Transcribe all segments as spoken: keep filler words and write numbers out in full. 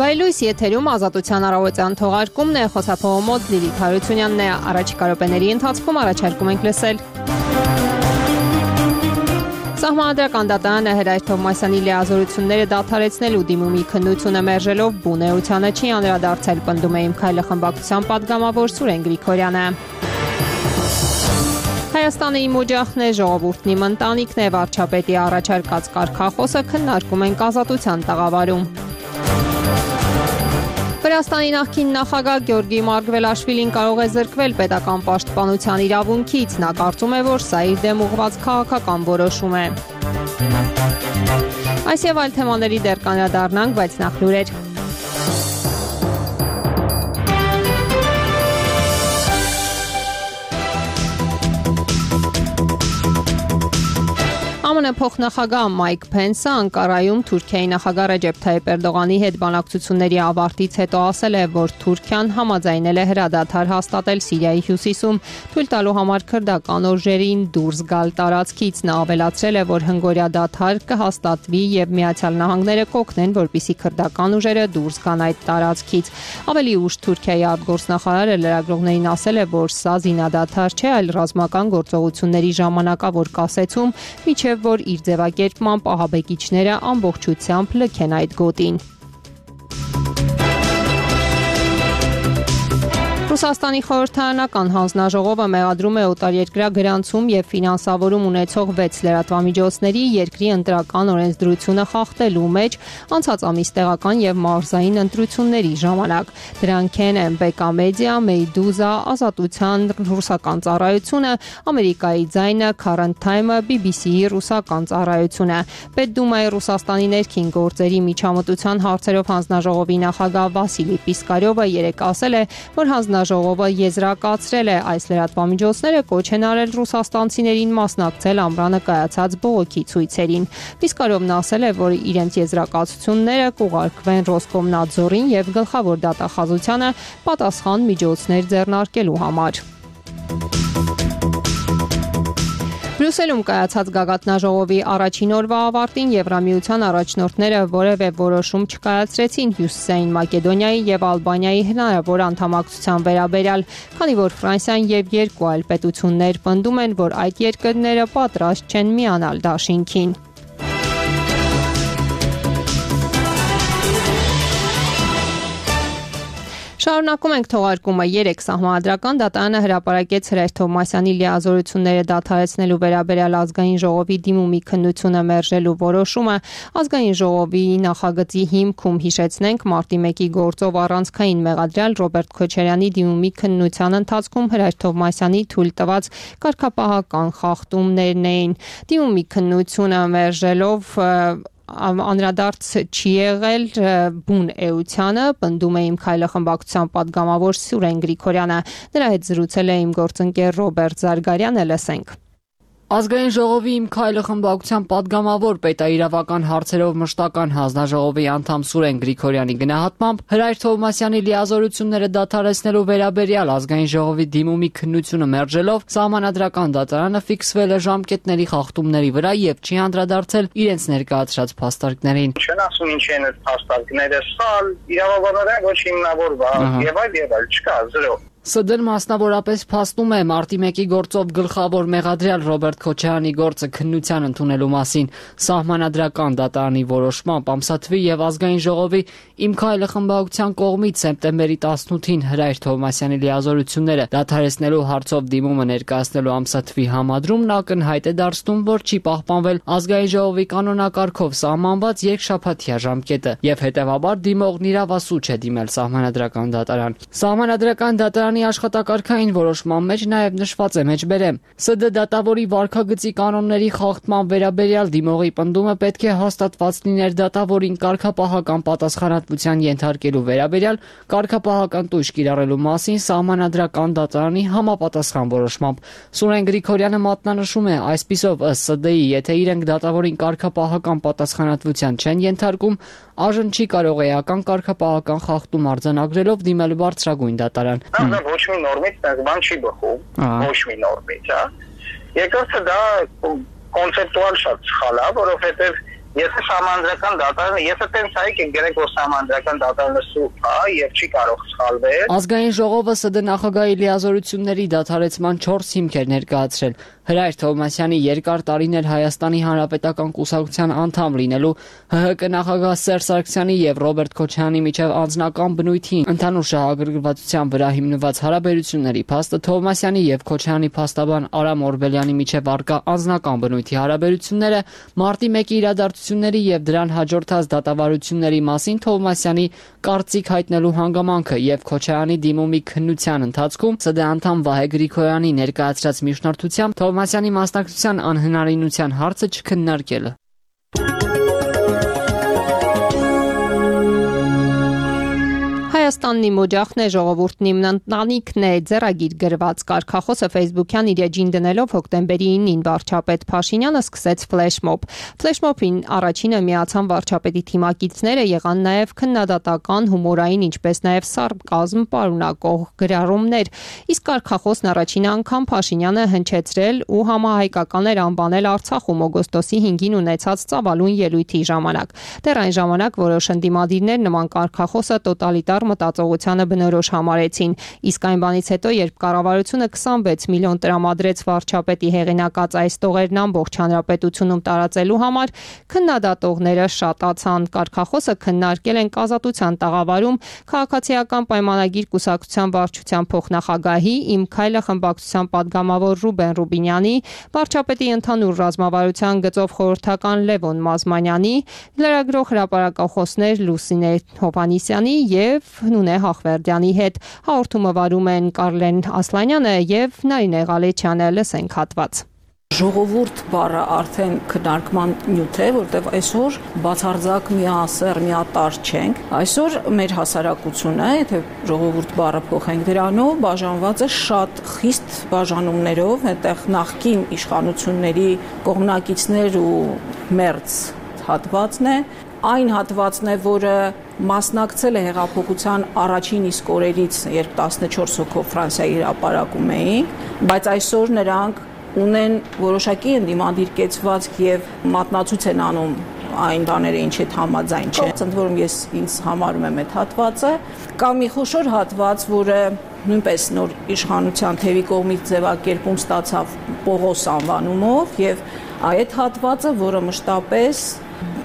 Հայլույս եթերում ազատության առավոտյան թողարկումն է, խոսափողը մոտ Լիլիթ Հարությունյանն է, առաջիկա րոպեների ընթացքում առաջարկում ենք լսել։ Սահմանադրական դատարանը Հրայր Թովմասյանի լիազորությունները դադարեցնելու դիմումի քննությունը մերժելով բուն էությանը չի անդրադարձել, պնդում է Իմ քայլը խմբակցության պատգամավոր Սուրեն Գրիգորյանը։ Հայաստանը իմ օջախն է, ժողովուրդն իմ ընտանիքն է, վարչապետի առաջարկած կարգախոսը քննարկում ենք Ազատության տաղավարում։ Վրաստանի նախկին նախագահ Գյորգի Մարգվելաշվիլին կարող է զրկվել պետական պաշտպանության իրավունքից, նա կարծում է, որ սա իր դեմ ուղղված քաղաքական որոշում է։ Այս եւ այլ թեմաների դեռ կանդրադառնանք, բայց նախ լուրեր։ ԱՄՆ փոխնախագահ Մայք Փենսը Անկարայում Թուրքիայի նախագահ Ռեջեփ Թայիփ Էրդողանի հետ բանակցությունների ավարտից հետո ասել է, որ Թուրքիան համաձայնել է հրադադար հաստատել Սիրիայի հյուսիսում, թույլ տալու համար քրդական ուժերին դուրս գալ տարածքից։ Նա ավելացրել է, որ հնգօրյա դադար կհաստատվի եւ Միացյալ Նահանգները կօգնեն, որպեսզի քրդական ուժերը դուրս գան այդ տարածքից։ Ավելի ուշ Թուրքիայի արտգործնախարարը լրագրողներին ասել է, որ սա զինադադար չէ, այլ ռազմական գործողությունների ժամանակավոր կասեցում, միջև որ իր ձևակերպմամբ ահաբեկիչները ամբողջությամբ լքեն այդ գոտին։ Ռուսաստանի խորհրդարանական հանձնաժողովը մեղադրում է օտարերկրյա գրանցում եւ ֆինանսավորում ունեցող վեց լրատվամիջոցների երկրի ընտրական օրենսդրությունը խախտելու մեջ անցած ամիս տեղական եւ մարզային ընտրությունների ժամանակ։ Դրանք են Բեկա Մեդիա, Մեյդուզա, Ազատության ռուսական ծառայությունը, Ամերիկայի ձայնը, Current Time-ը, բի բի սի-ի ռուսական ծառայությունը։ Պետդումայի Ռուսաստանի ներքին գործերի միջամտության հարցերով հանձնաժողովի նախագահ Վասիլի Պիսկարյովը երեկ ասել է, որ հանձնաժողովը Ժողովը եզրակացրել է այս լրատվամիջոցները կոչ են արել ռուսաստանցիներին մասնակցել ամռանը կայացած բողոքի ցույցերին։ Պիսկարովն ասել է, որ իրենց եզրակացությունները կուղարկվեն Ռոսկոմնadzորին եւ գլխավոր դատախազությանը պատասխան միջոցներ ձեռնարկելու համար։ Բրյուսելում կայացած գագաթնաժողովի առաջին օրվա ավարտին Եվրամիության առաջնորդները որևէ որոշում չկայացրեցին Հյուսիսային Մակեդոնիայի եւ Ալբանիայի հնարավոր անդամակցության վերաբերյալ, քանի որ Ֆրանսիան եւ երկու այլ պետություններ պնդում են, որ այդ երկրները պատրաստ չեն միանալ դաշինքին։ Շարունակում ենք թողարկումը։ Երեկ Սահմանադրական դատարանը հրապարակեց Հրայր Թովմասյանի լիազորությունները դադարեցնելու վերաբերյալ ազգային ժողովի դիմումի քննությունը մերժելու որոշումը։ Ազգային ժողովի նախագծի հիմքում, հիշեցնենք, մարտի մեկի գործով առանցքային մեղադրյալ Ռոբերտ Քոչարյանի դիմումի քննության ընթացքում Հրայր Թովմասյանի թույլ տված կարգապահական խախտումներն էին։ Դիմումի քննությունը մերժելով անդրադարձ չի եղել բուն էությանը, պնդում է Իմ քայլը խմբակցության պատգամավոր Սուրեն Գրիգորյանը։ Նրա հետ զրուցել է իմ գործընկեր Ռոբերտ Զարգարյանը, լսենք։ Ազգային ժողովի Իմ քայլը խմբակցության պատգամավոր պետաիրավական հարցերով մշտական հանձնաժողովի անդամ Սուրեն Գրիգորյանի գնահատմամբ Հրայր Թովմասյանի լիազորությունները դադարեցնելու վերաբերյալ ազգային ժողովի դիմումի քննությունը մերժելով Սահմանադրական դատարանը ֆիքսվել է ժամկետների խախտումների վրա եւ չի անդրադարձել իրենց ներկայացրած փաստարկներին։ Չեն ասում ինչ են այդ փաստարկները, սալ, իրավաբանորեն ոչ հիմնավորված եւ այլ եւ այլ, չկա, զրո։ ՍԴ-ն մասնավորապես փաստում է մարտի մեկի գործով գլխավոր մեղադրյալ Ռոբերտ Քոչարյանի գործը քննության ընդունելու մասին։ Սահմանադրական դատարանի որոշմամբ ամսաթվի եւ ազգային ժողովի Իմ քայլը խմբակցության կողմից սեպտեմբերի տասնութին Հրայր Թովմասյանի լիազորությունները դադարեցնելու հարցով դիմումը ներկայացնելու ամսաթվի համադրումն ակնհայտ է դարձնում, որ չի պահպանվել ազգային ժողովի կանոնակարգով սահմանված երկշաբաթյա ժամկետը եւ հետեւաբար դիմողն իրավասու չէ դիմել Սահմանադրական դատարան։ Սահմանադրական դատարան աշխատակարգային որոշման մեջ նաև նշված է մեջբերեմ. ՍԴ դատավորի վարքագծի կանոնների խախտման վերաբերյալ դիմողի պնդումը պետք է հաստատված լիներ դատավորին կարգապահական պատասխանատվության ենթարկելու վերաբերյալ կարգապահական տույժ կիրառելու մասին Սահմանադրական դատարանի համապատասխան որոշմամբ։ Սուրեն Գրիգորյանը մատնանշում է, այսպիսով ըստ ՍԴ-ի, եթե իրենք դատավորին կարգապահական պատասխանատվության չեն ենթարկում, այժմ չի կարող էական կարգապահական խախտում արձանագրելով դիմել բարձրագույն դատարան։ Ոչ մի նորմից բան չի բխում, ոչ մի նորմից, հա։ Երկրորդը դա կոնցեպտուալ շատ սխալ է, որովհետև Եթե համանդրական դատարանը, եթե տենց այք են գրենք, որ համանդրական դատարանը սուրբ է եւ չի կարող սխալվել։ Ազգային ժողովը ՍԴ նախագահի լիազորությունների դադարեցման չորս հիմք էր ներկայացրել։ Հրայր Թովմասյանի երկար տարիներ Հայաստանի Հանրապետական կուսակցության անդամ լինելու, ՀՀԿ նախագահ Սերժ Սարգսյանի եւ Ռոբերտ Քոչարյանի միջև անձնական բնույթի ընդհանուր շահագրգռվածության վրա հիմնված հարաբերությունների փաստը Թովմասյանի եւ Քոչարյանի փաստաբան Արամ Օրբելյանի միջև առկա անձնական բնույթի հարաբերությունները մարտի մեկի իրադարձությունների եւ դրան հաջորդած դատավարությունների մասին Թովմասյանի կարծիք հայտնելու հանգամանքը եւ Քոչարյանի դիմումի քննության ընթացքում ՍԴ անդամ Վահե Գրիգորյանի ներկայացրած միջնորդությամբ Թովմասյանի մասնակցության անհնարինության հարցը չքննարկելը։ Հայաստանն իմ օջախն է, ժողովուրդն իմ ընտանիքն է, ձեռագիր գրված կարգախոսը Facebook-յան իր էջին դնելով հոկտեմբերի ինին վարչապետ Փաշինյանը սկսեց ֆլեշմոբ։ Ֆլեշմոբին առաջինը միացան վարչապետի թիմակիցները, եղան նաև քննադատական, հումորային, ինչպես նաև սարկազմ պարունակող գրառումներ։ Իսկ կարգախոսն առաջին անգամ Փաշինյանը հնչեցրել ու համահայկական էր անվանել Արցախում օգոստոսի հինգին ունեցած ծավալուն ելույթի ժամանակ։ Դեռ այն ժամանակ որոշ ընդդիմադիրներ նման կարգախոսը տոտալիտար մտածողությանը բնորոշ համարեցին, իսկ այն բանից հետո, երբ կառավարությունը քսանվեց միլիոն տրամադրեց վարչապետի հեղինակած այս տողերն ամբողջ հանրապետությունում տարածելու համար, քննադատողները շատացան։ Կարգախոսը քննարկել են Ազատության տաղավարում քաղաքացիական պայմանագիր կուսակցության վարչության փոխնախագահի Իմ քայլը խմբակցության падգամավոր Ռուբեն Ռուբինյանի, վարչապետի ընդհանուր ռազմավարության գծով խորհրդական Լևոն Մազմանյանի, լրագրող հրապարակախոսներ Լուսինե Հովհաննիսյանի եւ Նունե Հախվերդյանի հետ։ Հաղորդումը վարում են Կարլեն Ասլանյանը եւ Նարինե Ղալեչյանը։ Լսենք հատված։ Ժողովուրդ բառը արդեն քննարկման նյութ է, որտեղ այսօր բացարձակ միասեռ, միատարր չենք։ Այսօր մեր հասարակությունը, եթե ժողովուրդ բառը փոխենք դրանով, բաժանված է շատ խիստ բաժանումներով, այդտեղ նախկին իշխանությունների կողմնակիցներ ու մերձ հատվածն է, այն հատվածն է, որը մասնակցել է հեղափոխության առաջին իսկ օրերից, երբ տասնչորս հոգով Ֆրանսիայի հրապարակում էին, բայց այսօր նրանք ունեն որոշակի ընդդիմադիր կեցվածք եւ մատնացույց են անում այն բաները, ինչ հետ համաձայն չեն։ Ընդ որում ես ինձ համարում եմ այդ հատվածը, կամ մի խոշոր հատված, որը նույնպես նոր իշխանության թևի կողմից ձևակերպում ստացավ Պողոս անվանումով, եւ այդ հատվածը, որը մշտապես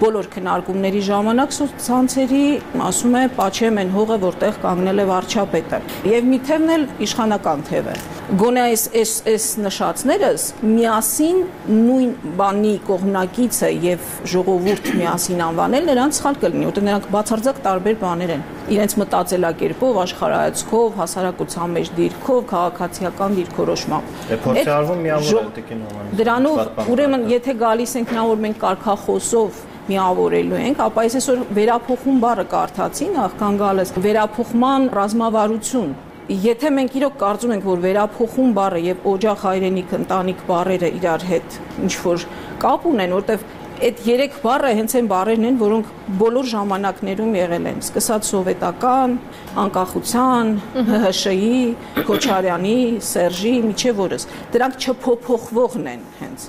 բոլոր քննարկումների ժամանակ սոցցանցերի ասում է «Պաչեմ են հողը, որտեղ կանգնել է վարչապետը»։ Եվ մի թևն էլ իշխանական թև է։ Գոնե այս այս այս նշածներս միասին նույն բանի կողմնակիցը եւ ժողովուրդ միասին անվանել նրանց սխալ կլինի, որտեղ նրանք բացարձակ տարբեր բաներ են։ Իրենց մտածելակերպով, աշխարհայացքով, հասարակության մեջ դիրքով, քաղաքացիական դիրքորոշմամբ։ Փորձի արվում միավորել Տիկին Հովհաննիսյանը։ Դրանով ուրեմն եթե գալիս ենք նա որ մենք կարգախոսով միավորելու ենք, ապա ես այսօր վերափոխում բառը կարդացի նախքան գալս վերափոխման ռազմավարություն։ Եթե մենք իրոք կարծում ենք, որ վերափոխում բառը եւ օջախ հայրենիք ընտանիք բառերը իրար հետ ինչ որ կապ ունեն, որտեվ այդ երեք բառը հենց այն բառերն են, որոնք բոլոր ժամանակներում եղել են, սկսած սովետական, անկախության, ՀՀՇ-ի, Քոչարյանի, Սերժի, միջև օրս։ Դրանք չփոփոխվողն են հենց։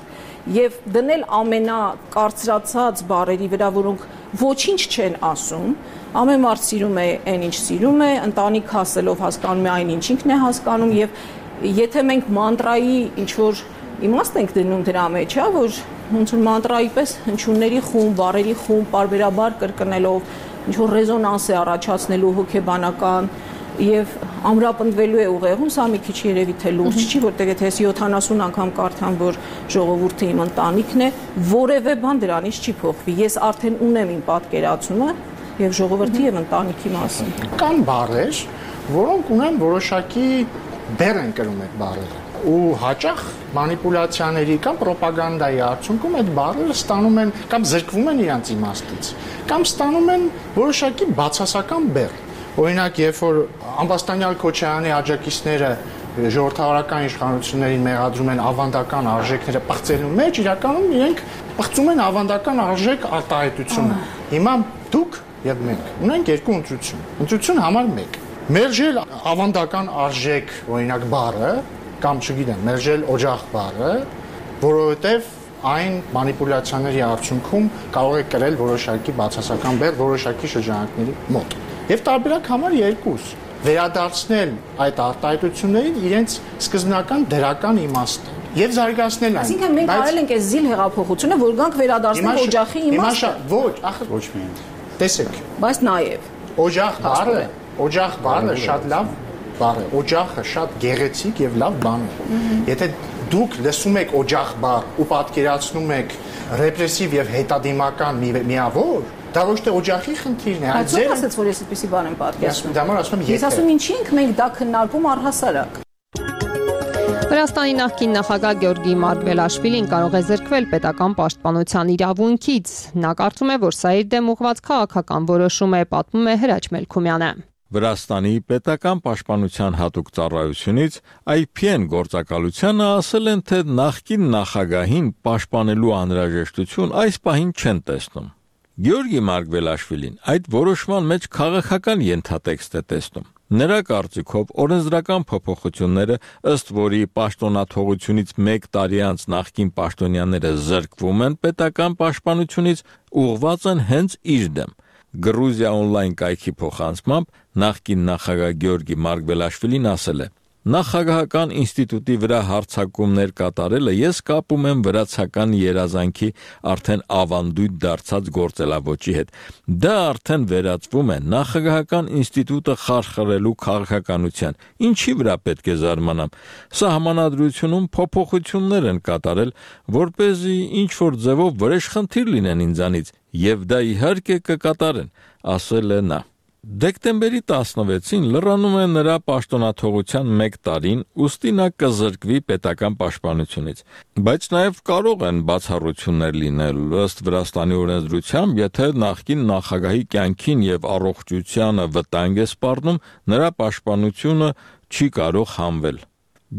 Եվ դնել ամենակարծրացած բառերի վրա, որոնք ոչինչ չեն ասում, ամեն մարդ սիրում է այն ինչ սիրում է, ընտանիք հասելով հասկանում է այն ինչ ինքն է հասկանում, եւ եթե մենք մանտրայի ինչ որ իմաստ ենք դնում դրա մեջ, հա, որ ոնց որ մանտրայի պես հնչյունների խումբ, բառերի խումբ, բարբերաբար կրկնելով ինչ որ ռեզոնանս է առաջացնելու հոգեբանական եւ ամրապնդվելու է ուղեղում, սա մի քիչ երևի թե լուրջ չի, որտեղ եթե ես յոթանասուն անգամ կարդամ, որ ժողովուրդը իմ ընտանիքն է, որևէ բան դրանից չի փոխվի։ Ես արդեն ունեմ իմ պատկերացումը եւ ժողովրդի եւ ընտանիքի մասին։ Կան բառեր, որոնք ունեն որոշակի բեռ են կրում այդ բառերը ու հաճախ մանիպուլյացիաների կամ ռոպագանդայի արդյունքում այդ բառերը ստանում են կամ զրկվում են իրենց իմաստից, կամ ստանում են որոշակի բացասական բեռ։ Օրինակ, երբ որ Ամբաստանյալ Քոչարյանի աջակիցները ժողովրդավարական իշխանություններին մեղադրում են ավանդական արժեքները պղծելու մեջ, իրականում իրենք պղծում են ավանդական արժեք արտահայտությունը։ Հիմա դուք եւ մենք ունենք երկու ընտրություն։ Ընտրություն համար մեկ։ Մերժել ավանդական արժեք, օրինակ բառը, կամ չգիտեմ, մերժել օջախ բառը, որովհետեւ այն մանիպուլյացիաների արդյունքում կարող է կրել որոշակի բացասական բեռ որոշակի շրջանակների մոտ։ Եվ տարբերակ համար երկուս վերադարձնել այդ արտահայտություններին իրենց սկզբնական դրական իմաստը եւ զարգացնել այն։ Այսինքն մենք արել ենք այս զիլ հեղափոխությունը, որ գանք վերադարձնել օջախի իմաստը։ Ոչ, ախր ոչ միայն։ Տեսեք։ Բայց նաեւ օջախ բառը, օջախ բառը շատ լավ բառ է։ Օջախը շատ գեղեցիկ եւ լավ բան է։ Եթե դուք լսում եք օջախ բառ ու պատկերացնում եք ռեպրեսիվ եւ հետադիմական միավոր, դա ոչ թե օջախի խնդիրն է, այլ ձեր ասած որ ես այդպեսի բան եմ պատկերացնում։ Դա մար ասում եմ, ես ասում ինչի ենք մենք դա քննարկում առհասարակ։ Վրաստանի նախկին նախագահ Գյորգի Մարգվելաշվիլին կարող է զրկվել պետական պաշտպանության իրավունքից։ Նա կարծում է, որ սա իր դեմ ուղղված քաղաքական որոշում է, պատմում է Հրաչ Մելքումյանը։ Վրաստանի պետական պաշտպանության հատուկ ծառայությունից I P N գործակալությանը ասել են, թե նախկին նախագահին պաշտպանելու անհրաժեշտություն այս պահին չեն տեսնում։ Գյորգի Մարգվելաշվիլին այդ որոշման մեջ քաղաքական ենթատեքստ է տեսնում։ Նրա կարծիքով օրենսդրական փոփոխությունները, ըստ որի պաշտոնաթողությունից մեկ տարի անց նախկին պաշտոնյաները զրկվում են պետական պաշտպանությունից, ուղղված են հենց իր դեմ։ Գրուզիա on-line կայքի փոխանցմամբ նախկին նախագահ Գյորգի Մարգվելաշվիլին ասել է. Նախագահական ինստիտուտի վրա հարձակումներ կատարելը ես կապում եմ վրացական երազանքի արդեն ավանդույթ դարձած գործելավոճի հետ։ Դա արդեն վերածվում է նախագահական ինստիտուտը խարխրելու քաղաքականության։ Ինչի վրա պետք է զարմանամ։ Սահմանադրությունում փոփոխություններ են կատարել, որպեսզի ինչ-որ ձևով վրեժխնդիր լինեն ինձանից, եւ դա իհարկե կկատարեն, ասել է նա։ Դեկտեմբերի տասնվեցին լրանում է նրա պաշտոնաթողության մեկ տարին, ուստի նա կզրկվի պետական պաշտպանությունից։ Բայց նաև կարող են բացառություններ լինել, ըստ Վրաստանի օրենսդրությամբ, եթե նախկին նախագահի կյանքին եւ առողջությանը վտանգ է սպառնում, նրա պաշտպանությունը չի կարող հանվել։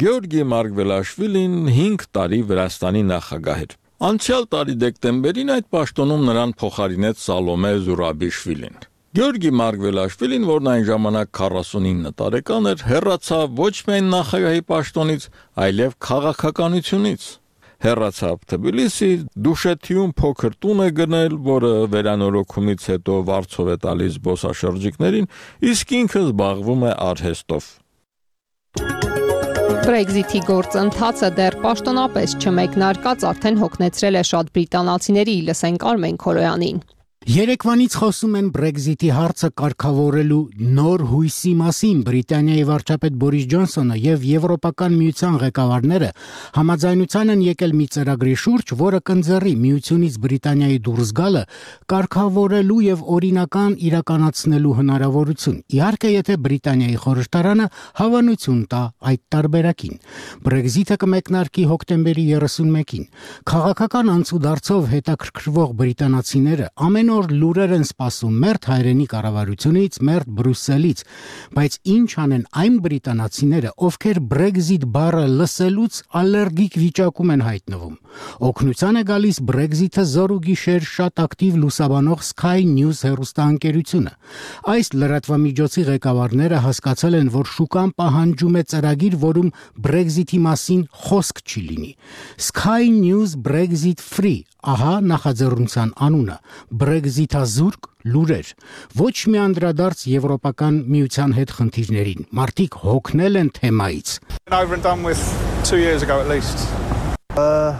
Գյորգի Մարգվելաշվիլին հինգ տարի Վրաստանի նախագահ էր։ Անցյալ տարի դեկտեմբերին այդ պաշտոնում նրան փոխարինեց Սալոմե Զուրաբիշվիլին։ Գյորգի Մարգվելաշվիլին, որն այն ժամանակ քառասունինը տարեկան էր, հեռացավ ոչ միայն նախագահի պաշտոնից, այլև քաղաքականությունից։ Հեռացավ Թբիլիսի, Դուշեթիում փոքր տուն է գնել, որը վերանորոգումից հետո վարձով է տալիս զբոսաշրջիկներին, իսկ ինքը զբաղվում է արհեստով։ Brexit-ի գործընթացը դեռ պաշտոնապես չմեկնարկած արդեն հոգնեցրել է շատ բրիտանացիների, լսենք Արմեն Քորոյանին։ Երեկվանից խոսում են Brexit-ի հարցը կարգավորելու նոր հույսի մասին։ Բրիտանիայի վարչապետ Բորիս Ջոնսոնը եւ Եվրոպական միության ղեկավարները համաձայնության են եկել մի ծրագրի շուրջ, որը կընձեռի միությունից Բրիտանիայի դուրս գալը կարգավորելու եւ օրինական իրականացնելու հնարավորություն։ Իհարկե, եթե Բրիտանիայի խորհրդարանը հավանություն տա այդ տարբերակին։ Brexit-ը կմեկնարկի հոկտեմբերի երեսունմեկին։ Քաղաքական անցուդարձով հետաքրքրվող բրիտանացիները ամեն օր լուրեր են սպասում մերթ հայրենի կառավարությունից, մերթ Բրյուսելից, բայց ինչ անեն այն բրիտանացիները, ովքեր Brexit բառը լսելուց ալերգիկ վիճակում են հայտնվում։ Օգնության է գալիս Brexit-ը զորուգիշեր շատ ակտիվ լուսաբանող Sky News հեռուստաընկերությունը։ Այս լրատվամիջոցի ղեկավարները հասկացել են, որ շուկան պահանջում է ծրագիր, որում Brexit-ի մասին խոսք չի լինի։ Sky News Brexit Free, ահա նախաձեռնության անունը։ Brexit-ազուրկ լուրեր, ոչ մի անդրադարձ Եվրոպական միության հետ խնդիրներին։ Մարդիկ հոգնել են թեմայից։ Over and done with two years ago at least. Uh,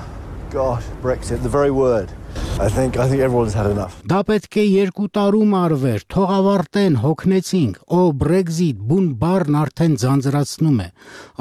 God, Brexit, the very word. I think I think everyone's had enough. Դա պետք է երկու տարում արվեր, թող ավարտեն, հոգնեցինք։ Օ Brexit, բուն բառն արդեն ձանձրացնում է։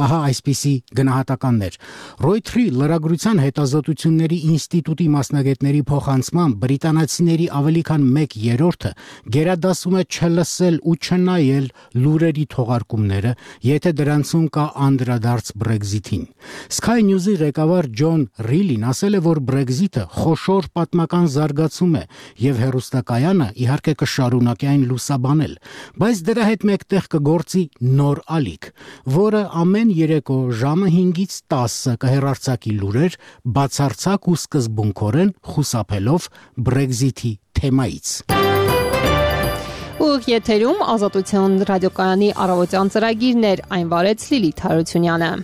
Ահա այսպիսի գնահատականներ։ Reuters-ի լրագրության հետազոտությունների ինստիտուտի մասնագետների փոխանցմամբ բրիտանացիների ավելի քան մեկ երրորդը գերադասում է չլսել ու չնայել լուրերի թողարկումները, եթե դրանցում կա անդրադարձ Brexit-ին։ Sky News-ի ղեկավար Ջոն Ռիլին ասել է, որ Brexit-ը խոշոր պատմական զարգացում է եւ հերոստակայանը իհարկե կշարունակի այն լուսաբանել, բայց դրա հետ մեկտեղ կգործի նոր ալիք, որը ամեն երեկո ժամը հինգից տասը կհեռարձակի լուրեր, բացարձակ ու սկզբունքորեն խուսափելով Brexit-ի թեմայից։ Ուղիղ եթերում Ազատության ռադիոկայանի առավոտյան ծրագիրներ, այն վարեց Լիլիթ Հարությունյանը։